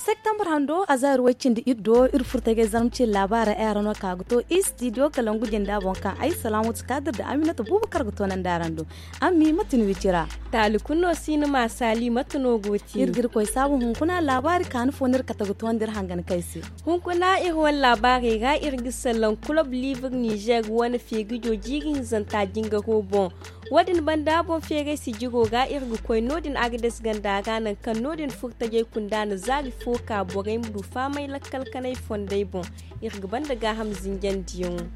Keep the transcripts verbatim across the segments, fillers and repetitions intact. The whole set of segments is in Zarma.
Septembre hando a zaari way cindi iri do iri furtajey zarma ce laabaara ay araŋ no ka ga to istidiyo kalangu jinda boŋ kaŋ ay salaamatu kaadir da aminata buubu kar ga to nandi araŋ do. Ammi mate ni wicira? Taali kulu no si ni ma saali mate no go ti iri ga iri koy saabu hunkuna laabaari kaani fo no iri kate ga toonda iri hangan kay se. Hunkuna iri wane laabaarey ra iri ga salaŋ kulob liibir nizer wane feegijo jiiri hinzanta jingaro boŋ. Wo- din banda boŋ feeray sijiro ra iri ga koy no- din agades ganda ra nangu kaŋ no- din furtajey kunda na zaari fo ka borey ma du faamay lakkal kanay fondey boŋ. Iri ga banda gaaham zinjandiyaŋo.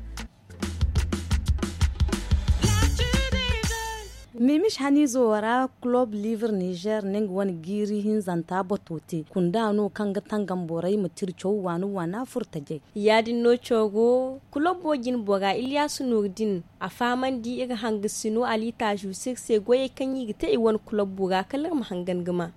Mimis haniizo ra kulob liibir nizer na nga wane jiiri hinzanta bato te kunda no kaŋ ga tangam borey ma tira caw waana waana furtajey. Ya- din no coro kulobo jinbora iliyaasu nuur din a fahamandi iri hangasino aliitaazu se iri se goyey kaŋ i ga te i wane kulobo ra kala iri ma hangan ga ma.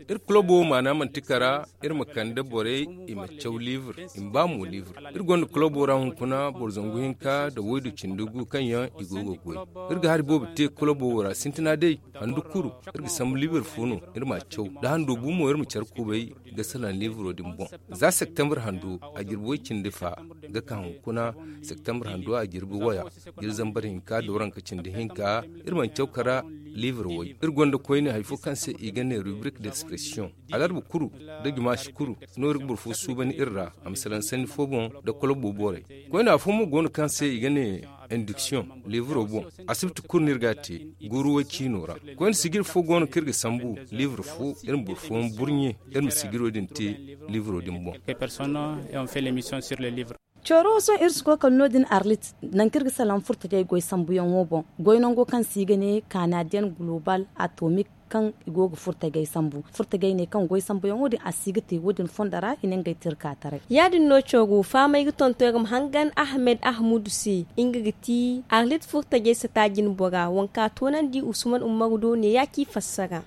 Iri kulobo wo maana manti kara iri ma kande borey i ma caw liibir i ma ba mo liibir. Iri gonda kulobo ra hunkuna boro zangu hinka nda waydu cindi gu kaŋ yaŋ i go ga goy. Iri ga hari boobo te kulobo wo ra sintina day handu kuru iri ga sambu liibir fo no iri ma caw da hando bu mo iri ma care kubay ga salaŋ liibiro din boŋ. Za septembre hando a jirbi way cindi fa ga ka hunkuna septembre hando a jirbi waya jiri zambar hinka da waranka cindi hinka. Iri mana caw kara liibir way iri gonda koyne hari fo kaŋ se i ga ne rubrique d'expression. Alarba kuru da jumaashi kuru no iri ga boro fo suubani iri ra a ma salaŋ sanni fo boŋ da kolobo borey. Koyne afo mo go no kaŋ se i ga ne induction liibiro boŋ. Asibti kulu no iri ga a te guuru way ciino ra. Koyne sijiri fo go no kaŋ iri ga sambu liibir fo iri ma boro fooyaŋ burɲe iri ma sijiro din te liibiro din boŋ. Coro sohõ iri si koy kala no- din arlit nangu kaŋ iri ga salaŋ furtajey goy sambuyaŋo boŋ. Goy nango kaŋ se i ga ne kanadiyen global atomik kaŋ i go ga furtajey sambu furtajey ne kaŋ goy sambuyaŋo din a si ga te wo- din fondo ra i na ngey te iri ka taray. Ya- din no coro fahamey ga tonton iri ma hangan ahmed ahmudu se nga ga ti arlit furtajey sata jinbora wanka toonandi usman umaru do ne ya ci fassara.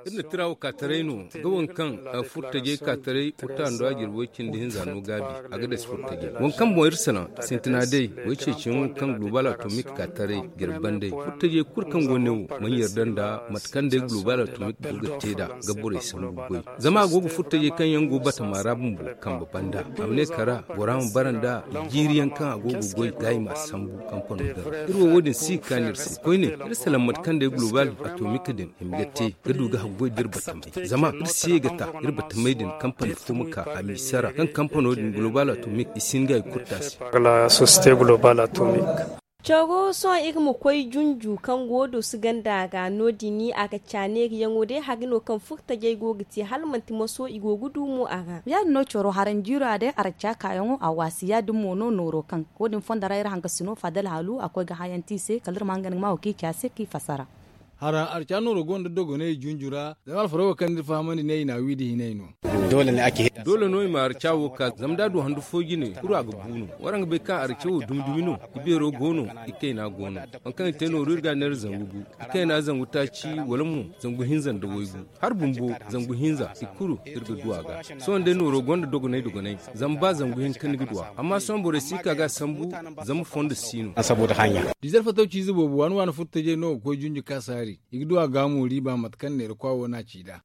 Iri na tira wo ka taray no ga waŋ kaŋ furtajey ka taray furta nda a jirbi way cindi hinza no gaabi a ga dasi furtajey waŋ kaŋ boŋ iri salaŋ sintina day way ceeciyaŋo kaŋ global atomik ka taray jirbi banday furtajey kulu kaŋ go ne wo mana yarda nda mate kaŋ day global atomik go ga te nd'a ga borey sambu goy. Zama a go ga furtajey kaŋ yaŋ go batama ra bumbo kambe banda a ma ne kara bora ma bara nda jiiri yaŋ kaŋ a go ga goy ga i ma a sambu kampano din ra iri wo wo- din si ga kaanu iri se koyne iri salaŋ mate kaŋ day global atomik din hima ga te ga du ga haggoy da iri batamey zama iri si ye ga ta iri batamey din kampani fo ma ka a misa ra kaŋ kampano din global atomik i si hin ga i kurta se. Coro sohõ iri ma koy junju kaŋ go dooso ganda ra no- din a ga caneeriyaŋo day hari no kaŋ furtajey go ga te hala manti moso i go ga du mo a ra. Ya- din no coro haranjiira day araca kaayaŋo a waasi ya- din mo no nooro kaŋ wo- din fondo ra iri hangasino fadal haalu a koy ga hayanti i se kala iri ma hangan ga ma wo kaŋ i ci a se kaŋ i fassara. Hara arca nooro gonda dogonay junju ra zama alfaro wo kaŋ ni fahamandi ne i na a wi da hinay no. Doole no i ma arca wo ka zama da a du handu fo jine kuru a ga bu no. Waraŋ ga bay kaŋ arca wo dumi dumi no i beero go no i kayna go no. Waŋ kaŋ i te nooru iri ga a neera zangu gu i kayna zangu taaci wala mo zangu hinza nda waygu. Hari bumbo zangu hinza i kulu iri ga du a ga. Sohõ day nooro gonda dogonay dogonay zama ba zangu hinka ni ga du a amma sohõ borey si ka ga a sambu zama fondo si no. Dizer fatawci ize boobo waani waani furtajey no ga koy junju ka saari i ga du a ga mo riiba mate kaŋ neera kwa wo no a ci nd'a.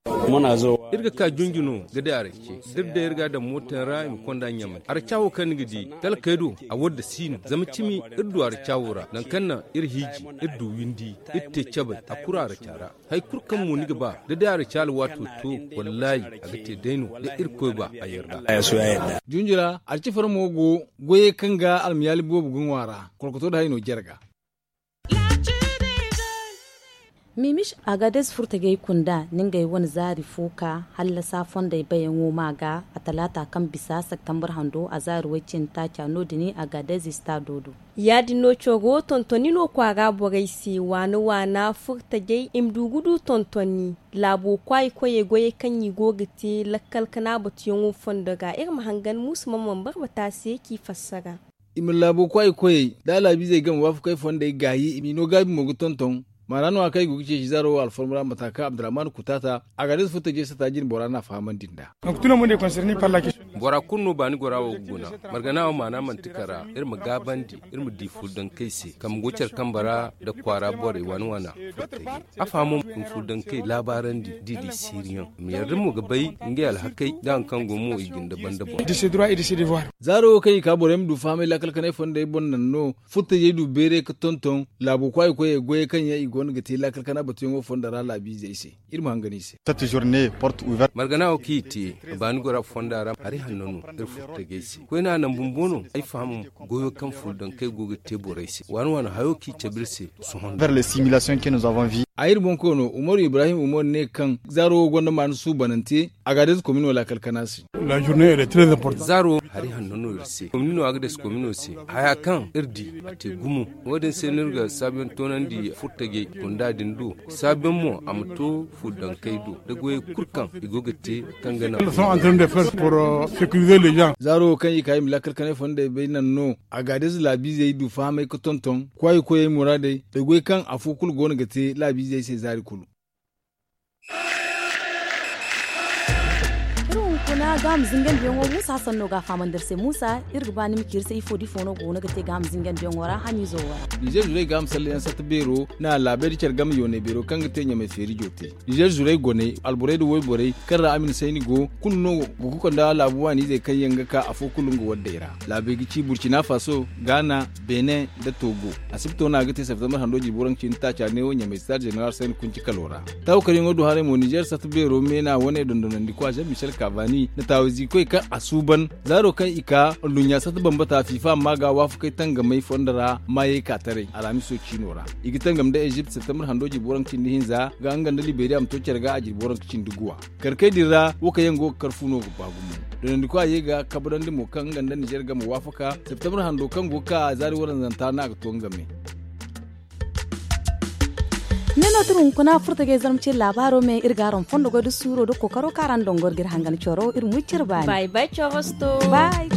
Iri ga ka junju no ga day arace da iri day iri ga a daŋ mootayaŋ ra i ma konda ɲamay araca wo kaŋ ni ga di talkey do a wadda si no zama cimi iri du araca wo ra nangu kaŋ naŋ iri hiiji iri du windi iri te cabay a kuru araca ra. Hari kulu kaŋ mo ni ga ba da day araca alwaato to wallaahi a ga te day no da irkoy ba a yarda. Junju ra arca fara mo go goyey kaŋ ga almayaali boobo ga ŋwa ra kolkoto da hay no jare ga. Mimis agadez furtajey kunda na ngey wane zaari fo ka hallasa fondey bayaŋo ma ga a talaata kaŋ bisa septembre hando a zaari way cindi taaca no- din agadez istado do. Ya- din no coro tontoni no kwaara borey se waana waana furtajey i ma du ga du tontoni laabo kwaayi koyey goyey kaŋ i go ga te lakkal kana batuyaŋo fondo ga iri ma hangan muusu mana mana barbata se k'i fassara. I ma laabo kwaay koyey da a laabiizey game waafakey fondey gaayi i m'i no gaabi mo ga tonton. Maana no-ya kaŋ i go ga ceeci zaaro wo alforma ra mata kaŋ abdurrahman kutaata, a ga day ize furtajey sata jine bora no a fahamandi nd'a. Bora kulu no baani gora wo ga guna. Margana wo maana manti kara iri ma gaabandi, iri ma di furdankey se kaŋ go care kambe ra, nda kwaara borey waana waana. Furtajey a fahamo ma furdankey laabaarandi da i di siiriyaŋ. I ma yarda mo ga bay ngey alhakey nda hari kaŋ go mo i ga ni dabandabo. Zaaro wo kaŋ i ka borey ma du fahamay laakal kanay fondey boŋ naŋ no. Furtajey du beeray ga tonton laabo kwaayi koyey goyey kaŋ yaŋ i go no ga te laakal kana batuyaŋo fondo ra laabiizey se. Iri ma hangan i se. Margana wo kaŋ i te baani gora fonda ra hari hanno no. Iri furtajey se koyne a naŋ bumbo no ay faham. Goyo kaŋ furdankey go ga te borey se waani waani hayo kaŋ i cabe iri se. Sohõ. A iri boŋ koono umaru ibrahim umaru ne kaŋ zaaro wo gonda maana suubanante. A ga a deesi komino laakal kana se. Zaaro hari hanno no iri se komino a ga deesi komino se. Haya kaŋ iri di a te gumo. Wo- din se no iri ga saabuyaŋ toonandi furtajey gunda din do. Saabuyaŋ mo a ma to furdankey do da goyey kulu kaŋ i go ga te kaŋ ga naŋ. Zaaro wo kaŋ i ka i ma laakal kanay fondey bay naŋ no. A ga a deesi laabiizey du fahamay ga tonton kwaayi koyey muraadey da goy kaŋ afo kulu go no ga te laabiizey se zaari kulu. Iri hunkuna gaama zingandiyaŋo muusa sanno ga a fahamandi iri se muusa. Iri ga ba ni ma ci iri se ifo da ifo no go no ga te gaama zingandiyaŋo ra hamiizo wo ra. Nizeer zurey gaama salleyaŋ satta beero na laabey da care game yoonay beero kaŋ ga te ɲamay feerijo te. Nizeer zurey goney alborey nda woyborey kaŋ ra a ma ni sayni go kulu no. Ga koy konda laabu waaniizey kaŋ yaŋ ga ka afo kulu nga waddey ra. Laabey ga ci burcina faso, gaana, benin, nda togo. Asibto no a ga te septembar hando jirbi waranka cindi taaca neewo ɲamay star jeneral sayni kunci kalo ra. Taawukaryaŋo du haray mo nizeer satta beero meena wane dondonandikwa jean michel kavani nda taawiziikoy kaŋ a suuban. Zaaro kaŋ i ka nduɲɲa satta bambata fiifa amma ga waafakey tangamey fondo ra maayey ka taray alhamiso ciino ra. I ga tangam nda ezipt septembar hando jirbi waranka cindi hinza ga nga nda liberiya ma to care ga a jirbi waranka cindi guwa. Karkey din ra wo kaŋ yaŋ go ga kar fu no ga ba gumo. Donandiko a ye ga kabrandi mo kaŋ nga nda nizer game waafaka septembre hando kaŋ go ga ka a zaari waranzanta no a ga to nga me. Ne no tun hunkuna furta ga ay zarma ce laabaaro me iri ga araŋ fondo goy da suuro da kookaro kaŋ araŋ dongor ga iri hangan coro iri ma wi cire baani. Bay bay corosto. Bay.